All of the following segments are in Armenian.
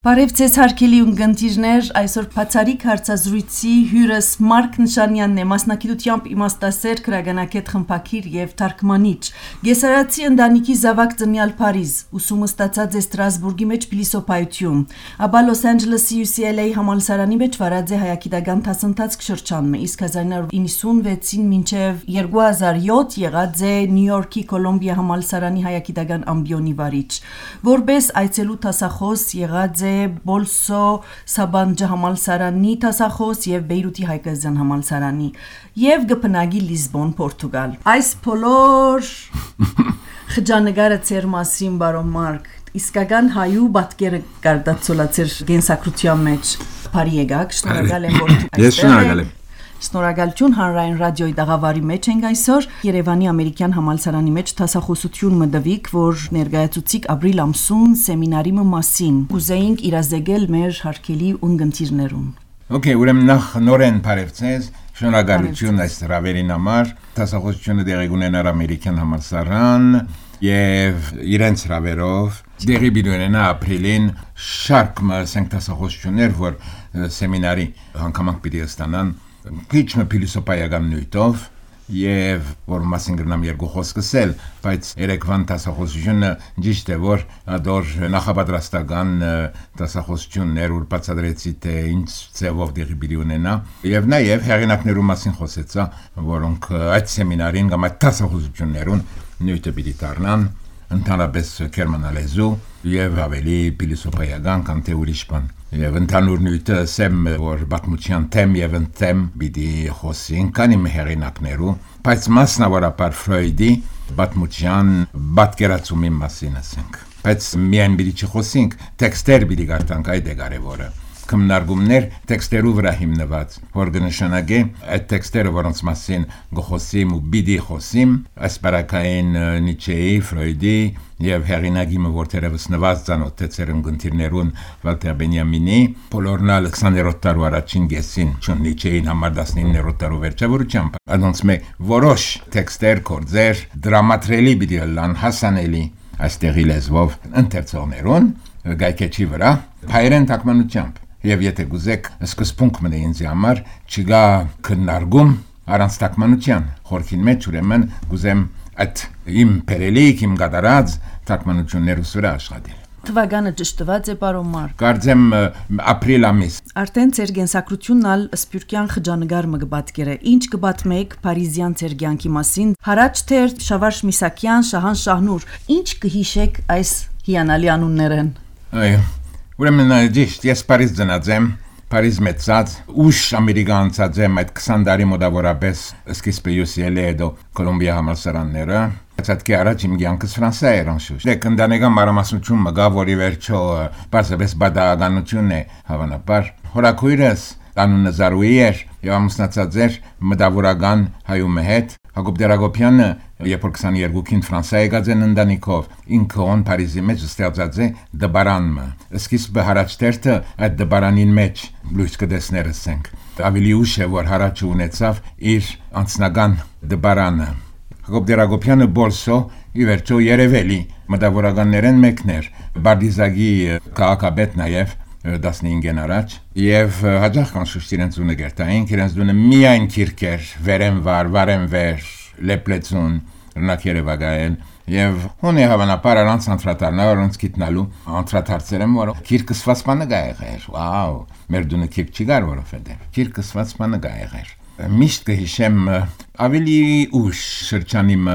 Բարև ձեզ հարգելի ունկնդիրներ, այսօր բացառիկ հարցազրույցի հյուրս Մարկ Նշանյանն է, մասնագիտությամբ իմաստասեր, քրագանակետ, խմբագիր եւ թարգմանիչ։ Գեսարացի ընտանիքի զավակ ծնյալ Փարիզ, ուսումը ստացած է Ստրասբուրգի մեջ փիլիսոփայություն, ապա Լոս Անջելեսի UCLA համալսարանի մեջ վարած է հայագիտական դասընթաց քշրջանը, իսկ 1996-ին մինչև 2007 եղած է Նյու Յորքի Կոլումբիա համալսարանի հայագիտական ամբիոնի վարիչ, որպես այցելու դասախոս եղած Բոլսո Սաբանջա համալսարանի դասախոս եւ Բեյրութի Հայկազյան համալսարանի եւ գտնագի Լիզբոն, Պորտուգալ։ Այս բոլոր խճանկարը ծեր մասին բարոն Մարկ, իսկական հայու պատկերը կարտացոլացեր գենսակրության մեջ։ Բարի եկաք, շնորհակալ եմ որ Ես շնորհակալ եմ։ Շնորհակալություն հանրային ռադիոյի դաղավարի մեջ ենք այսօր Երևանի ամերիկյան համալսարանի մեջ դասախոսություն մտվիկ, որ ներկայացուցիկ ապրիլ ամսուն սեմինարի մասին ուզեինք իրազեկել մեր հարգելի ունկնդիրներուն։ Okay, ուրեմն նախ նորեն բարևձեզ, շնորհակալություն այս հրավերին համար, դասախոսությունը դեղի ունենար ամերիկյան համալսարան եւ իրենց հրավերով դեղի բիդոնենա ապրիլին շարք մասենք դասախոսություններ, որ սեմինարի հանգամանք պիտի ստանան քիչ փիլիսոփայական նյութով եւ որ մասին գրնամ երկու խոսք ասել, բայց երեկվան դասախոսությունը ճիշտ է որ ադոր նախապատրաստական դասախոսություններ ուր բացադրեցի թե ինչ ձևով դեղի պիտի ունենա եւ նաեւ հեղինակներու մասին խոսեցա, որոնք այդ սեմինարին կամ այդ դասախոսություններուն նյութը պիտի դառնան ընդհանրապես գերմանալեզու եւ ավելի փիլիսոփայական կամ թե ուրիշ բան եւ ընդհանուր նյութը սեմ որ պատմության թեմ եւ ընթեմ պիտի խոսին քանի հեղինակներու բայց մասնավորապես Ֆրոյդի պատմության պատկերացումի մասին ասենք բայց միայն պիտի խոսենք տեքստեր պիտի գարտանք այդ է կարևորը քննարկումներ տեքստերու վրա հիմնված որ կնշանակե այդ տեքստերը որոնց մասին գխոսիմ ու պիտի խոսիմ ասպարակային Նիչեի Ֆրոյդի եւ հեղինակի որտեղս նված ցանոթեցեր ընկերներուն Վալտեր Բենյամինի բոլորն 20-րդ դարու առաջին գեսին ճուն Նիչեին համար 19-րդ դարու վերջավորությամբ անոնց մե որոշ տեքստեր կորձեր դրամատրելի պիտի լան հասանելի այստեղի լեզվով ընթերցողներուն գայքեչի վրա հայերեն թարգմանությամբ եւ եթե գուզեք սկզբունք մնա ինձ համար չգա քննարկում առանց թարգմանության խորքին մեջ ուրեմն գուզեմ այդ իմ պերելիք իմ գդարած թարգմանություններուս վրա աշխատել Թվականը ճշտված է պարոն Մարկ Կարծեմ ապրիլ ամիս Արդեն ծեր գենսակրությունն ալ սպյուրքյան խճանկար մը գբատկերը ինչ կբատմեք Փարիզյան ծեր կյանքի մասին Հարաճ թեր Շավարժ Միսակյան Շահան Շահնուր ինչ կհիշեք այս հիանալի անուններեն Այո Ուրեմն ճիշտ ես Փարիզ ծնած եմ Փարիզ մեծած ուշ ամերիկանացած եմ այդ 20 տարի մոտավորապես սկիզբը UCLA դո Կոլումբիա համալսարանները Ցածկի առաջ իմ կյանքս Ֆրանսիա էր անշուշտ դե կնդանեկան մարամասնություն մգա որի վերջո բացապես բադականություն է հավանաբար հորակույրս անունը Զարուհի էր եւ ամուսնացած էր մտավորական հայու հետ Հակոբ Դերագոպյանը երբ 22-ին Ֆրանսիա եկած են ընտանիքով ինքը on Փարիզի մեջ ստեղծած է դբարանը սկիզբը հարաճտերտը այդ դբարանին մեջ լույս կտեսներսենք ավելի ուշ է որ հարաճը ունեցավ իր անձնական դբարանը Հակոբ Դերագոպյանը Բոլսո ի վերջո Երևելի մտավորականներեն մեկն էր Բարդիզագի քաղաքապետ նաեւ 15-ին առաջ եւ հաջող կանշուշտ իրենց ունը գերտային իրենց դունը միայն քիրքեր վերեն վարեն վեր լեպլեցուն ռնակերևագայել եւ հոնե հավանաբար առանց անդրադառնալ առանց գիտնալու անդրադարձերեմ որ քիրքսված բանը գա եղեր վաու մեր դունը քիրք չի գար որովհետեւ քիրքսված բանը գա եղեր միշտ կհիշեմ ավելի ուշ շրջանիմ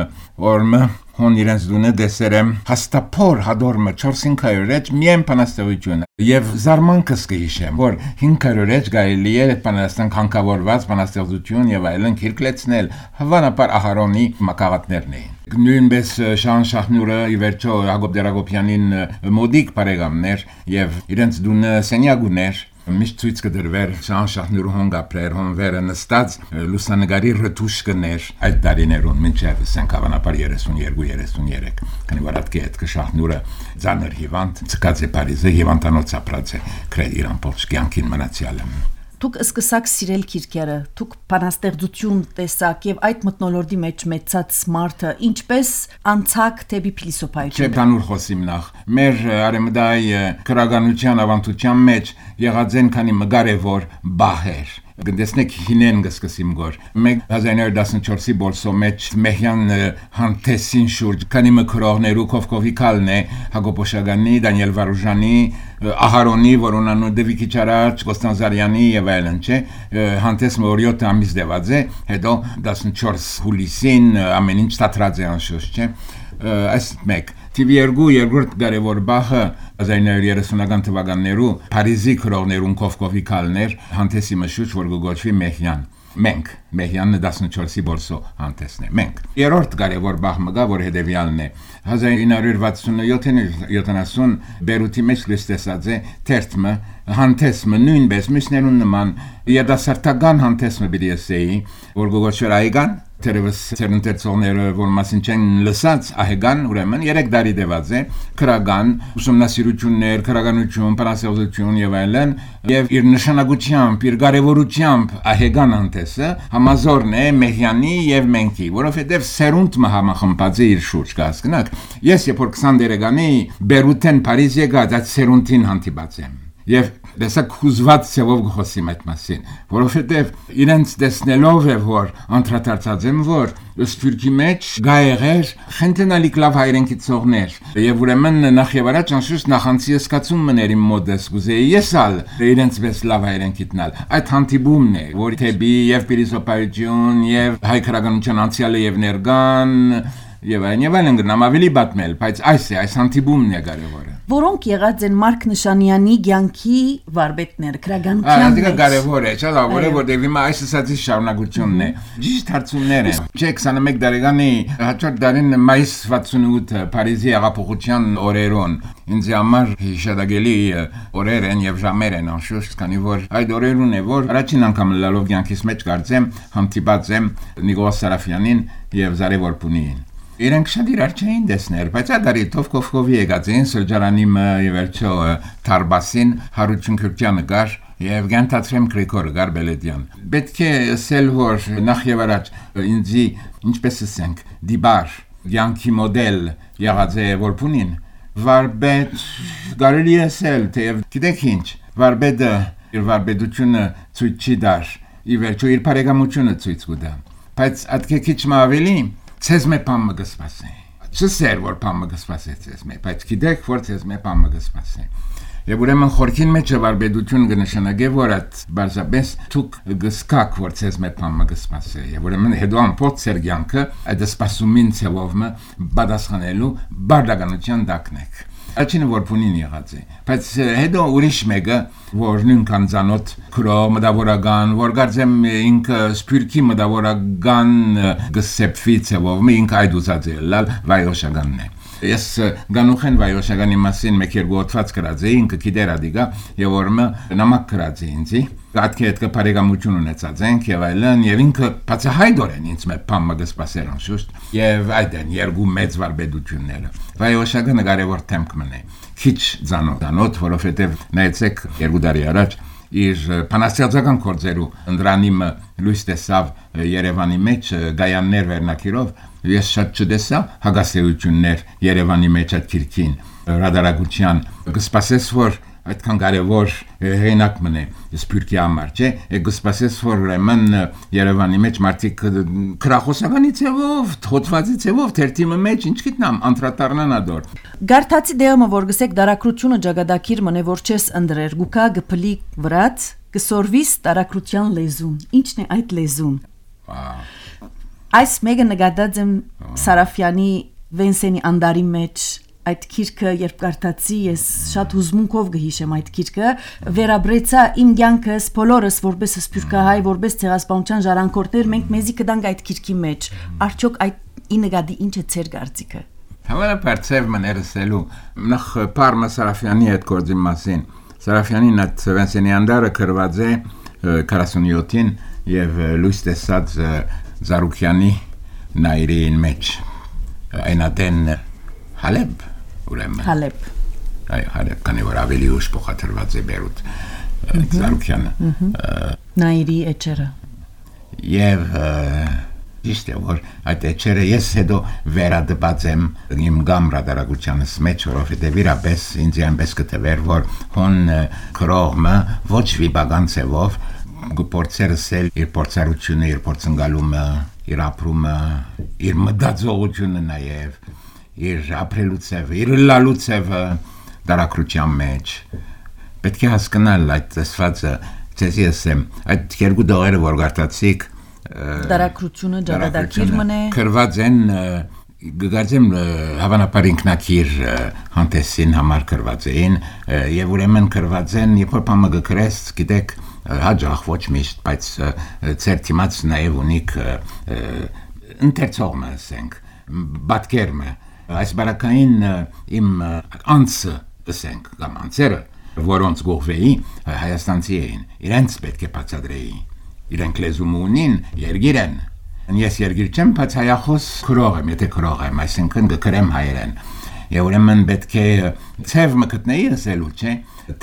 որմը հոն իրենց դունը դեսերեմ հաստափոր հադորմը 400 էջ միայն բանաստեղություն եւ զարմանքս կհիշեմ որ 500 էջ գայելի է բանաստան կանկավորված բանաստեղծություն եւ այլն քիրքլեցնել հավանաբար Ահարոնի մակաղատներն էին նույնպես Շահան Շահնուրը ի վերջո Հակոբ Դերագոպյանին մոդիկ բարեկամներ եւ իրենց դունը սենյագուներ Միշտ ցույց կդրվեր Շահան Շահնուրը հոնգապրեր հոնվերը նստած լուսանգարի ռտուշ կներ այդ տարիներուն մինչև ասենք հավանաբար 32-33 քանի որ այդ կետ Շահնուրը ձանր հիվանդ ցկած է Փարիզը հիվանդանոց ապրած է քրեդ իրան փոքր կյանքին մնացյալը Դուք սկսակ սիրել քիրքերը, դուք բանաստեղծություն տեսակ եւ այդ մթնոլորտի մեջ մեծած մարդը ինչպես անցակ դեպի փիլիսոփայություն։ Չէ, բանուր խոսիմ նախ։ Մեր արեմդայ քրագանության ավանդության մեջ եղած են քանի մգարևոր բահեր։ Գնդեսնեք հինեն գսկսիմ գոր։ Մեկ 1914-ի բոլսո մեջ մեհյան հանտեսին շուրջ քանի մկրողներու Կովկովիկալն է Հակոբոշագանի, Դանիել Վարուժանի, Ահարոնի, որոնանու Դևիկիչարաչ, Կոստանզարյանի եւ այլն, չէ, հանտես մորյոտ ամիս դեված է, հետո 14 հուլիսին ամեն ինչ ստատրած է անշուշտ, չէ։ Այս մեկ TV2 երկրորդ կարևոր բախը 1930-ական թվականներու Փարիզի քրողներուն Կովկովիկալներ հանտեսի մշուշ որ գոչվի Մեհյան մենք Մեհյանն 14-ի բոլսո հանտեսն է մենք երրորդ կարևոր բախը գա որ հետեւյալն է 1967-70 Բերութի մեջ լստեսած է թերթը հանտեսը նույնպես մյուսներուն նման երդասարտական հանտեսը բիդի ասեի որ գոչվել այգան Terevs ցերնտերցողները որ մասին չեն լսած ահեգան ուրեմն 3 տարի դեված է քրագան ուսումնասիրություններ քրագանություն պարասեղություն եւ այլն եւ իր նշանակությամբ իր կարեւորությամբ ահեգան անտեսը համազորն է Մեհյանի եւ մենքի որովհետեւ սերունդ մահամախմբած է իր շուրջ կասկնակ ես երբ որ 20 դերեգանի Բերութեն Փարիզ եկած այդ սերունդին հանդիպած եմ եւ դեսակ խուզված ծավով գոսիմ այդ մասին որովհետեւ իրենց տեսնելով է որ անդրադարձած եմ որ սփյուռքի մեջ գայերեր խենտենալիկ լավ հայրենիցողներ եւ ուրեմն նախ եւ առաջ անշուշտ նախանցի սկացում մների մոդես գուզեի եսալ իրենց պես լավ հայրենիքնալ այդ հանդիպումն է որ թեպի եւ փիլիսոփայություն եւ հայ քրագանության անցյալը եւ ներկան եւ այլն գնամավելի բատմել բայց այս հանդիպումն է կարեւորը Որոնք եղած են Մարկ Նշանյանի ցանկի վարպետներ քրագանության Դա կարևոր է, չէ՞, լավ, որ դեպի այս ասացի շարունակությունն է։ Ճիշտ հարցումներ են։ Չէ, 21 տարեկանի հաջորդ տարին մայիս 68 Փարիզի հեղափոխության օրերուն ինձ համար հիշադակելի օրեր են եւ ժամեր են անշուշտ, քանի որ այդ օրերուն է որ առաջին անգամ լալով ցանկիս մեջ կարծեմ հանդիպած եմ Նիկոլաս Սարաֆյանին եւ Զարե Որպունին Իրենք շատ իրար չէին տեսներ, բայց ադարիտով Կովկովի եկածին սրճարանի վերջո Թարբասին Հարություն Քյուրքյանը գար եւ Գանտացրեմ Գրիգոր Գարբելեդյան։ Պետք է ասել որ նախ եւ առաջ ինձի ինչպես ասենք դիբար յանքի մոդել եղած է Որպունին վարպետ կարելի է ասել թե գիտեք ինչ վարպետը իր վարպետությունը ցույց չի դար ի վերջո իր բարեկամությունը ցույց կտա բայց ատկե քիչ ավելի Ցեզ մե պամը գսպասե Չսեր որ պամը գսպասե ցեզ մե բայց գիտեք որ ցեզ մե պամը գսպասե Եվ ուրեմն խորքին մեջ վարպետություն կնշանակե որ այդ բարձաբես ցուկ գսկակ որ ցեզ մե պամը գսպասե Եվ ուրեմն հետո ամփոփ սերգյանքը այդ սպասումին ցևովը բադասխանելու բարդականության դակնեք Աչինը Որպունին եղած է բայց հետո ուրիշ մեկը որ նույնքան ցանոթ քրո մտավորական որ գարձեմ ինքը սփյուռքի մտավորական գսեպվի ցևով ինքը այդ ուզած է լալ Վայոշականն է Ես գանուխեն Վայոշականի մասին մեկ երկու օթված գրած է ինքը գիտեր ադիգա եւ որմը նամակ գրած է ինձի Ատքի հետ կապարեգամություն ունեցած ենք եւ այլն եւ ինքը բացահայտորեն ինձ մե փամը գսպասեր անշուշտ եւ այդեն երկու մեծ վարպետությունները Վայոշականը կարևոր թեմք մնե քիչ ցանոթ որովհետեւ նայեցեք երկու տարի առաջ իր փանաստեղծական կորձերու ընդրանիմը լույս տեսավ Երևանի մեջ գայաններ վերնակիրով ես շատ չտեսա հագասեություններ Երևանի մեջ այդ քիրքին ռադարագության գսպասես որ այդքան կարևոր հենակ մնե սփյուռքի համար չէ գսպասես որ ուրեմն Երևանի մեջ մարդիկ քրախոսականի ցևով թոթվածի ցևով թերթիմը մեջ ինչ գիտնամ անդրատարնանադոր Գարթացի դերմը որ գսեք դարակրությունը ջագադակիր մնե որ չես ընդրեր գուկա գփլի վրաց գսորվիս դարակրության լեզուն ինչն է այդ լեզուն Այս մեկը նկատած եմ Սարաֆյանի Վենսենի անդարի մեջ այդ քիրքը երբ կարդացի ես շատ հուզմունքով գհիշեմ այդ քիրքը վերաբրեցա իմ ցանկս բոլորս որպես սփյուռքահայ որպես ցեղասպանության ժառանգորդներ մենք մեզի կդանք այդ քիրքի մեջ արդյոք այդ ինգադի ինչ է ցեր գարցիկը Հավանաբար ծև մներսելու նախ Պարմա Սարաֆյանի հետ գործի մասին Սարաֆյանին այդ Վենսենի անդարը գրված է 47-ին եւ լույս տեսած Զարուքյանի նայրին մեջ այնատեն Հալեբ ուրեմն Հալեբ այ Հալեբ քանի որ ավելի ուշ փոխադրված է Բերութ Զարուքյանը Նայիրի էջերը եւ ճիշտ է որ այդ էջերը ես հետո վերադպած եմ իմ գամրադարագությանս մեջ որովհետեւ իրապես ինձ այնպես կտվեր որ հոն քրողը ոչ վիբական ծևով գործերսել իր փորձառությունը իր փորձընկալումը իր ապրումը իր մտածողությունը նաեւ իր ապրելու ծևը իր լալու ծևը դարակրության մեջ պետք է հասկանալ այդ ասվածը ցեզի ասեմ այդ երկու դողերը որ գարտացիք դարակրությունը ջավադակիր մնե կրված են գգարձեմ հավանաբար ինքնակիր հանտեսին համար կրված էին եւ ուրեմն կրված են երբ որ բամը գկրես գիտեք հաջող ոչ միշտ բայց ծեր թիմած նաեւ ունիկ ընթերցողը ասենք բատկերմը այս բարակային իմ անձը ասենք կամ անձերը որոնց գողվեի հայաստանցի էին իրենց պետք է բացատրեի իրենք լեզու ունին երգիր են ես երգիր չեմ բայց հայախոս քրող եմ եթե քրող եմ այսինքն գկրեմ հայերեն եւ ուրեմն պետք է ցև մկտնեի ասելու չէ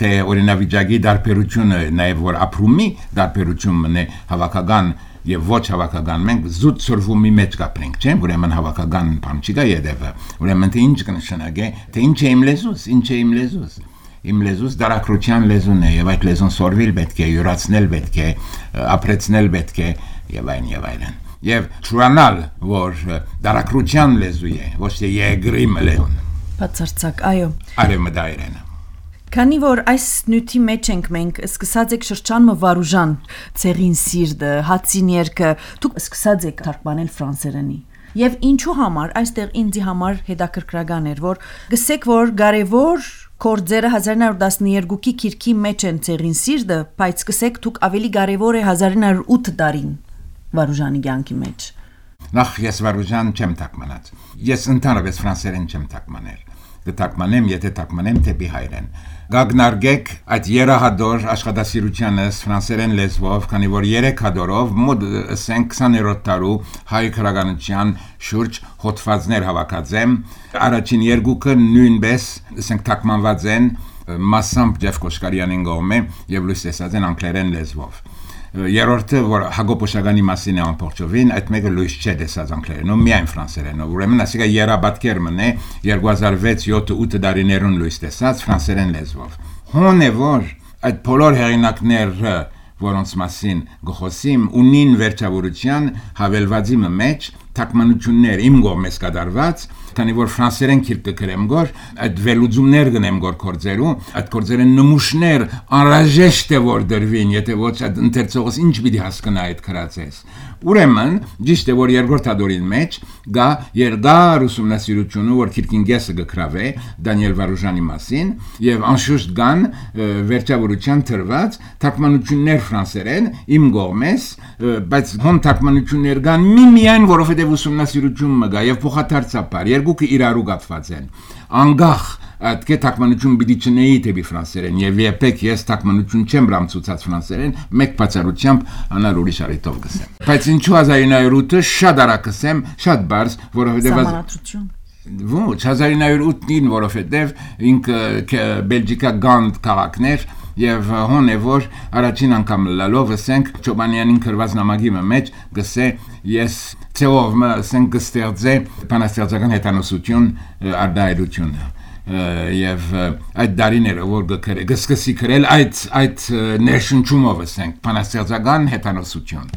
թե օրինավիճակի դարբերությունը նաեւ որ ապրումի դարբերությունն է հավաքական եւ ոչ հավաքական մենք զուտ ծրվումի մեջ կապրենք չէ ուրեմն հավաքական բան չկա յետևը ուրեմն թե ինչ կնշանակե թե ինչ է իմ լեզուս Իմ լեզուս դարակրության լեզուն է եւ այդ լեզուն սորվիլ պետք է յուրացնել պետք է ապրեցնել պետք է եւ այլն եւ ճանալ որ դարակրության լեզու է ոչ թե եգրիմ լեզուն բացարձակ այո արեմդայրեն Քանի որ այս նյութի մեջ ենք մենք սկսած եք շրջանը Վարուժան ցեղին սիրտը հացին երկը դուք սկսած եք թարգմանել ֆրանսերենի եւ ինչու համար այստեղ ինձի համար հետաքրքրական էր որ գսեք որ կարևոր Կորձերը 1912-ի քիրքի մեջ են ցեղին սիրտը, բայց սկսեք դուք ավելի կարևոր է 1908 դարին Վարուժանի կյանքի մեջ։ Նախ ես Վարուժան չեմ թարգմանած։ Ես ընդհանրապես ֆրանսերեն չեմ թարգմանել։ Կթարգմանեմ, եթե թարգմանեմ դեպի հայերեն։ Գագնարգեք այդ երահադոր աշխատասիրությանս ֆրանսերեն լեզվով, քանի որ 3 հադորով մոտ ասենք 20-րդ դարու հայ քրագանության շուրջ հոդվածներ հավաքած եմ առաջին երկուքը նույնպես ասենք թարգմանված են մասամբ Ջեֆ Կոշկարյանին կողմէ եւ լույս տեսած են անգլերեն լեզվով երրորդը որ Հակոբոսյանի մասին է ամբողջովին այդ մեկը լույս չէ տեսած անգլերենով միայն ֆրանսերենով ուրեմն ասիկա երաբատկերմն է 2006-7-8 դարիներուն լույս տեսած ֆրանսերեն լեզվով հոն է որ այդ բոլոր հեղինակները որոնց մասին գխոսիմ ունին վերջավորության հավելվածի մեջ թարգմանություններ իմ կողմից կատարված քանի որ ֆրանսերեն քիրքը գրեմ գոր այդ վերլուծումներ գնեմ գոր կորձերու այդ կորձերեն նմուշներ անհրաժեշտ է որ դրվին եթե ոչ այդ ընթերցողս ինչ պիտի հասկանա այդ քրածես ուրեմն ճիշտ է որ երկրորդ հադորին մեջ գա երկար ուսումնասիրությունը որ քիրքին գեսը գկրավե Դանիել Վարուժանի մասին եւ անշուշտ կան վերջավորության թրված թարգմանություններ ֆրանսերեն իմ կողմից բայց հոն թարգմանություններ կան միայն որովհետեւ ուսումնասիրություն մգա եւ փոխադարձաբար երկուքը իրարու կապված են անգախ այդ թարգմանություն պիտի չնեի դեպի ֆրանսերեն եւ երբեք ես թարգմանություն չեմ բրամցուցած ֆրանսերեն մեկ բացառությամբ անալ ուրիշ արիտով գսեմ բայց ինչու 1908-ը շատ արագ գսեմ շատ բարձ որովհետեւ ոչ 1908-ին որովհետեւ ինքը Բելգիկա Գանդ քաղաքներ եւ հոն է որ առաջին անգամ լալով ասենք Չոբանյանին կրված նամակի մեջ գսե ես ծեով ասենք գստերձե բանաստեղծական հետանոսություն արդայություն եւ այդ դարիները որ գսկսի գրել այդ ներշնչումով ասենք բանաստեղծական հետանոսություն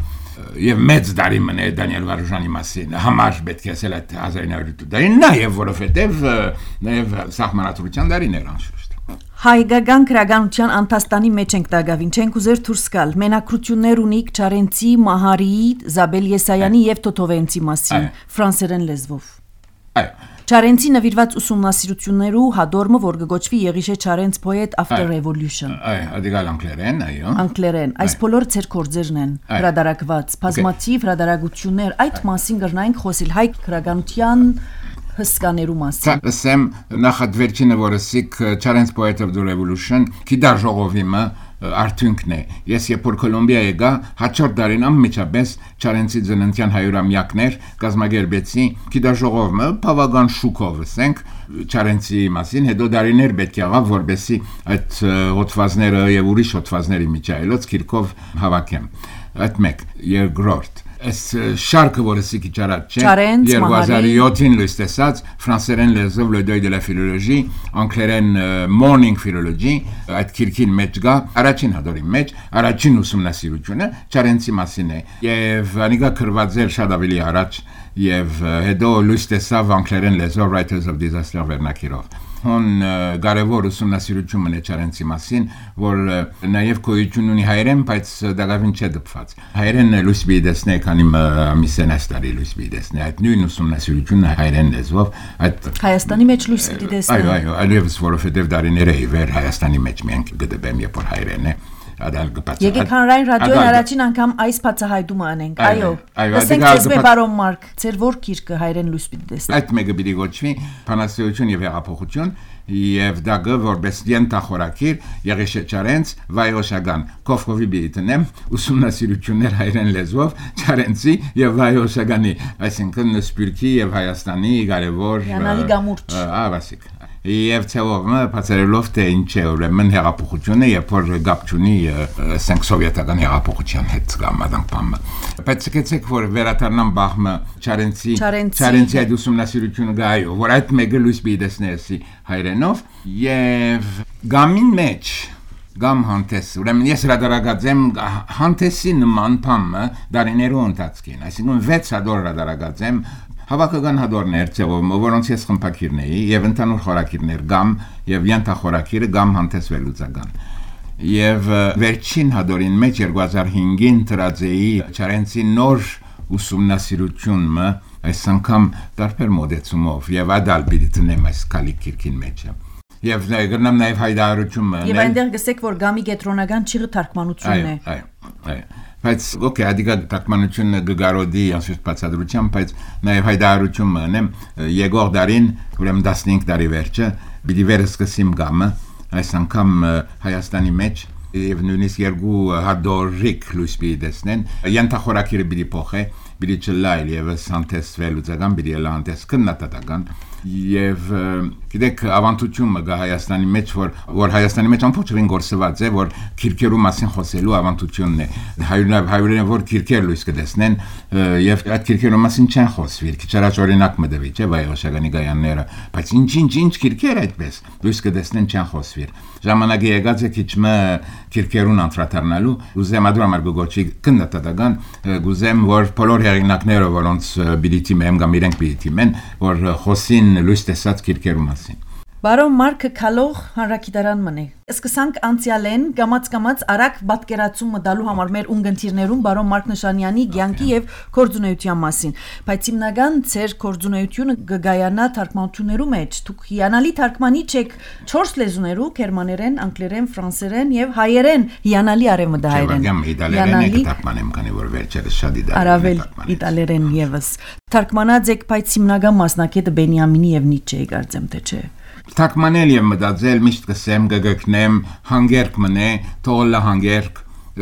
եւ մեծ դարի մնե Դանիել Վարուժանի մասին համար պետք է ասել այդ 1908 դարին նաեւ որովհետեւ նաեւ սահմանադրության դարիներ անշուշտ Հայկական քրագանության անտաստանի մեջ ենք դագավին չենք ուզեր դուրս գալ մենակրություններ ունիք Չարենցի, Մահարիի, Զաբել Եսայանի եւ Տոտովենցի մասին ֆրանսերեն լեզվով այո Չարենցի նվիրված ուսումնասիրություններու հադորմը որ գոչվի Եղիշե Չարենց Poet After Revolution ադիգալ անգլերեն այո անգլերեն այս բոլոր ծեր կորձերն են հրադարակված բազմաթիվ հրադարագություններ այդ մասին գրնայինք խոսիլ հայ քրագանության հսկաներու մասին ասեմ նախ այդ վերջինը որ ասիկ Challenge Poet of the Revolution կիդար ժողովիմը արդյունքն է։ Ես երբ որ Կոլումբիա եկա, հաջորդ տարին անմիջապես Չարենցի ծննդյան 100-ամյակներ կազմակերպեցի գիտաժողովը բավական շուկով, ասենք Չարենցի մասին, հետո դարիներ պետք եղավ, որպեսզի այդ հոդվածները եւ ուրիշ հոդվածների միջայլոց քիրքով հավաքեմ։ Այդ մեկ, երկրորդ Այս շարքը, որը սիկի ճարած չէ, 2007-ին լույս տեսած ֆրանսերեն լեզվով Le Deuil de la Philologie, անգլերեն Morning Philology, այդ քիրքին մեջ գա, առաջին հադորի մեջ, առաջին ուսումնասիրությունը Չարենցի մասին է, եւ անիկա գրված էր շատ ավելի առաջ, եւ հետո լույս տեսավ անգլերեն լեզվով Writers of Disaster վերնակիրով։ Հոն կարևոր ուսումնասիրությունն է Չարենցի մասին, որ նաև գոյություն ունի հայերեն, բայց դակավին չէ դպված։ Հայերեն լույս մի տեսնե, քանի ամիսեն աստարի լույս մի տեսնե, այդ նույն ուսումնասիրությունը հայերեն լեզվով, այդ Հայաստանի մեջ լույս պիտի տեսնե։ Այո, այլևս որովհետև դարիներ է իվեր Հայաստանի մեջ միայն գտեմ, երբ որ հայերեն է։ Եկեք հանրային ռադիոյի առաջին անգամ այս բացահայտումը անենք, այո։ Լսենք ձեզ բարոն Մարկ, ձեր որ գիրքը հայերեն լույս պիտի տեսնի։ Այդ մեկը պիտի գոչվի Փանասիություն եւ հեղափոխություն եւ դագը որպես ենթախորակիր Եղիշե Չարենց Վայոշագան Կովկովի բիտնեմ ուսումնասիրություններ հայերեն լեզվով Չարենցի եւ Վայոշագանի, այսինքն Սփյուռքի եւ Հայաստանի կարևոր Յանալի գամուրջ։ Ավասիկ Եվ ցավոք բացառելով թե ինչ է ուրեմն հեղափոխությունը երբ որ գապ չունի ասենք սովետական հեղափոխության հետ գամադան բամը բայց ցկեցեք որ վերադառնամ բախմը Չարենցի այդ ուսումնասիրությունը գայո որ այդ մեկը լույս բիդեսնեսի հայրենով եւ գամին մեջ գամ հանտես ուրեմն ես հրադարագածեմ հանտեսի նման բամը դարիներու ընթացքին այսինքն 6 հազար հրադարագածեմ Հավաքական հադորներ ծևով, որոնց ես խմբակիրն էի եւ ընդհանուր խորակիրներ գամ եւ ենթախորակիրը գամ հանտեսվելուծական։ Եվ վերջին հադորին մեջ 2005-ին դրածեի Չարենցի նոր ուսումնասիրությունը այս անգամ տարբեր մոդեցումով եւ ադալ բիդտնեմ այս կալիկիրքին մեջ։ Եվ գտնամ նաեւ հայտարարությունը։ Եվ այնտեղ գսեք որ գամի գետրոնական ճիղը թարգմանությունն է։ Այո։ Բայց օքեյ ադիգա թարգմանությունը գգարոդի ասես բացադրությամբ բայց նաև հայտարարություն ունեմ Եգոր դարին ուրեմն 15 տարի վերջը պիտի վերսկսեմ գամը այս անգամ Հայաստանի մեջ եւ նույնիսկ երկու հադորիկ լույս պիտի տեսնեն ենթախորակիրը պիտի փոխե պիտի չլայլ եւ սանտեսվել ուզական պիտի լանտես կնատատական եւ գիտեք ավանդությունը գա Հայաստանի մեջ որ Հայաստանի մեջ ամբողջովին գործված է որ քիրքերու մասին խոսելու ավանդությունն է հայրենը որ քիրքեր լույս կտեսնեն եւ այդ քիրքերու մասին չեն խոսվի քիչ առաջ օրինակ մտվի չէ Վայոշագանի գայանները բայց ինչ քիրքեր այդպես լույս կտեսնեն չեն խոսվի ժամանակի եկած է քիչմը քիրքերուն անդրադառնալու ուզեմ ադրամար գոչի կնատատական գուզեմ որ բոլոր հեղինակները որոնց բիլիտի մեմ կամ իրենք բիլիտի մեն որ խոսին լույս տեսած քիրքերու մասին Բարոն Մարկը քալող հանրագիտարան մնե։ Սկսանք անցյալեն գամած արագ պատկերացումը դալու համար մեր ունգընտիրներուն բարոն Մարկ Նշանյանի ցանկի եւ կորձունեության մասին։ Բայց հիմնական ծեր կորձունեությունը գգայանա թարգմանություններու մեջ։ Դուք հիանալի թարգմանիչ եք 4 լեզուներու՝ գերմաներեն, անգլերեն, ֆրանսերեն եւ հայերեն։ Հիանալի արևմտահայերեն։ Իտալերեն թարգմանեմ, քանի որ վերջերս շատ արավել իտալերեն եւս։ Թարգմանած եք, բայց հիմնական մասնակետը Բենյամինի եւ Նիչեի կարծեմ թե չէ։ Թարգմանել եւ մտածել միշտ կսեմ գգկնեմ հանգերք մնե թողլա հանգերք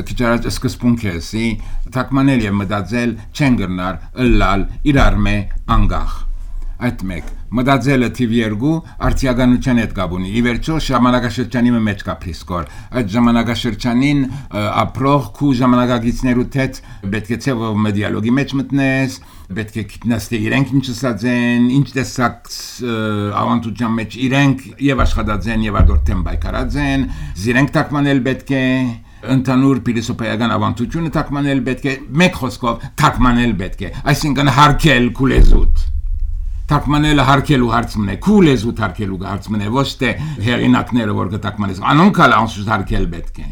քիչ առաջ սկզբունք էսի թարգմանել եւ մտածել չեն գրնար ըլլալ իրարմե անգախ այդ մեկ մտածելը թիվ2 արտիականության հետ կապ ունի ի վերջո ժամանակաշրջանի մեջ կա փիսկոր այդ ժամանակաշրջանին ապրող քու ժամանակագիցներու հետ պետք է ծավալ դիալոգի մեջ մտնես պետք է գտնես իրենք ինչ ասածեն ինչ տեսակ ավանդության մեջ իրենք եւ աշխատածեն եւ ադորտեն բայկարածեն զիրենք թարգմանել պետք է ընդանուր փիլիսոփայական ավանդությունը թարգմանել պետք է մեկ խոսքով թարգմանել պետք է այսինքն հարկել քուլեզուտ Թարգմանելը հարկելու հարցն է, քու լեզու թարգելու հարցն է, ոչ թե հեղինակները որ կթարգմանես, անոնքալ անշուշտ հարկել պետք է,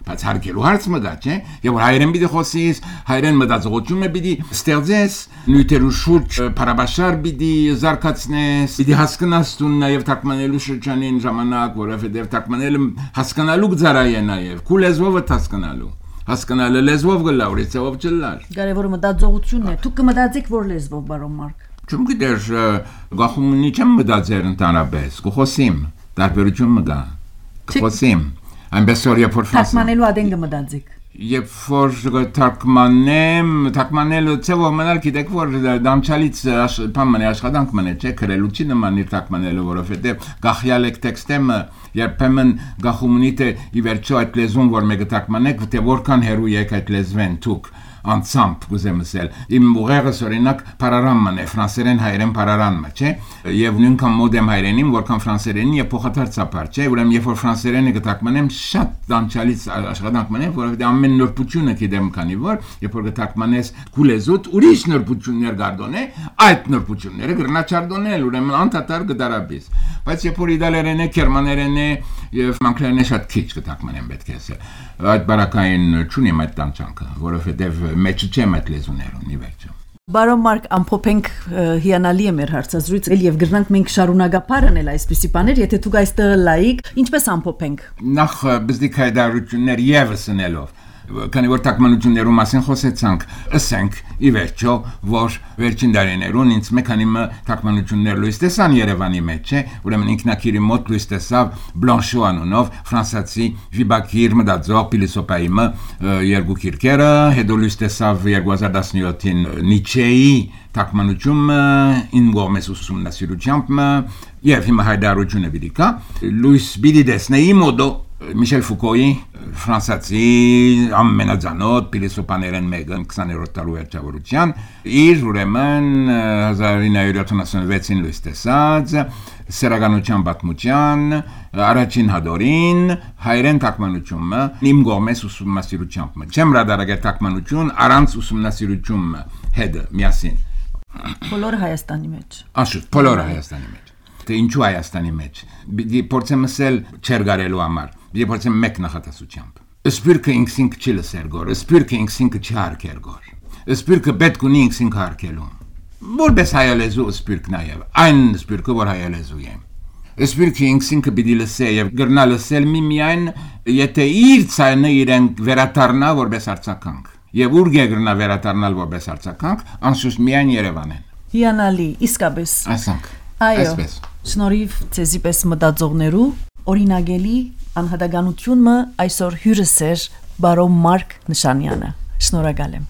բայց հարկելու հարցը դա չէ, եւ որ հայերեն պիտի խոսես, հայերեն մտածողությունը պիտի ստեղծես, նյութերու շուրջ փարաբաշար պիտի զարգացնես, պիտի հասկանաս դու նաեւ թարգմանելու շրջանին ժամանակ, որովհետեւ թարգմանելը հասկանալու գծարայ է նաեւ, քու լեզվով հասկանալը լեզվով գլաուրիցով չլար։ Կարևորը մտածողությունն է։ Դուք կմտածեք որ լեզվով, բարոն Մարկ։ Չեմ գիտեր գախումնի չեմ մտածեր ընդանրապես կխոսիմ տարբերություն մգա կխոսիմ այնպես որ երբ որ թարգմանելու ադենգը մտածիկ Երբ որ թարգմանելու ցեվով մնալ գիտեք որ դամչալից բամանի աշխատանք մնա չէ քրելու չի նման իր թարգմանելու որովհետև գախյալ եք տեքստեմը երբեմն գախումնիտ է ի վերջո այդ լեզուն որ մեկը թարգմանեք թե որքան հերու եք այդ լեզվեն դուք անցամբ գուզեմ ասել իմ ուղեղս օրինակ параրանն է ֆրանսերեն հայերեն параրանն չէ եւ նույնքան մոդեմ հայերենին որքան ֆրանսերենին եւ փոխադարձաբար չէ ուրեմն երբ որ ֆրանսերենը գտակմանեմ շատ դանչալից աշխատանք մնեմ որովհետեւ ամեն նորբությունը գիտեմ քանի որ երբ որ գտակմանես գուլեզուտ ուրիշ նորբություններ գարդոնե այդ նորբությունները գրնաչարդոնել ուրեմն անդադար գդարաբիս բայց երբ որ իտալերեն է գերմաներեն է եւ մանկլերեն է շատ քիչ գտակմանեմ պետք է ասել այդ բարակային չունիմ այդ տանչանքը որովհետեւ մեջը չեմ այդ լեզուներուն ի վերջո Բարոն Մարկ ամփոփենք հիանալի է մեր հարցազրույցը եւ գրնանք մենք շարունակապար անել այսպիսի բաներ եթե դուք այստեղ լայք ինչպես ամփոփենք նախ բզդիկ հայդարություններ եւս ընելով քանի որ թարգմանություններում մասին խոսեցանք ասենք ի վերջո որ վերջին դարիներուն ինձ մեքանիմը թարգմանություններ լույս տեսան Երևանի մեջ չէ ուրեմն ինքնակիրի մոտ լույս տեսավ Բլանշո անունով ֆրանսիացի վիբակիր մտածող փիլիսոփայիմը երկու քիրքերը հետո լույս տեսավ 2017-ին Նիչեի թարգմանությունը ինգոմես ուսումնասիրությամբ եւ հիմա հայդարությունը բիդիկա լույս բիդի դեսնեի մոդո Michel Foucault, ֆրանսիացի ամենաձանոթ փիլիսոփաներեն մեկը 20-րդ դարու վերջավորության իր ուրեմն 1976-ին լույս տեսած սերականության պատմության առաջին հադորին հայերեն թարգմանությունը իմ գոմես ուսումնասիրությամբ չեմ ռադարագեր թարգմանություն առանց ուսումնասիրություն հետը միասին բոլոր Հայաստանի մեջ Աշուտ բոլոր Հայաստանի մեջ թե ինչու Հայաստանի մեջ փորձեմ ասել չեր գարելու համար Դեպորցեմ մեկ նախատեսությամբ Սպիրկը ինքսինք չի լսեր գոր Սպիրկը ինքսինք չհարկեր գոր Սպիրկը պետք ունի ինքսինք հարկելու Որպես հայալեզու սպիրկ նաև այն սպիրկը որ հայալեզու է Սպիրկը ինքսինքը պիտի լսե եւ գրնա լսել միայն եթե իր ցայնը իրեն վերադառնա որպես արձականք եւ ուր գրնա վերադառնալ որպես արձականք անշուշտ միայն Երևանն Հիանալի իսկապես ասանք այո շնորհիվ ցեզի պես մտածողներու օրինագելի անհատականությունը այսօր հյուրս էր բարոն Մարկ Նշանյանը շնորհակալ եմ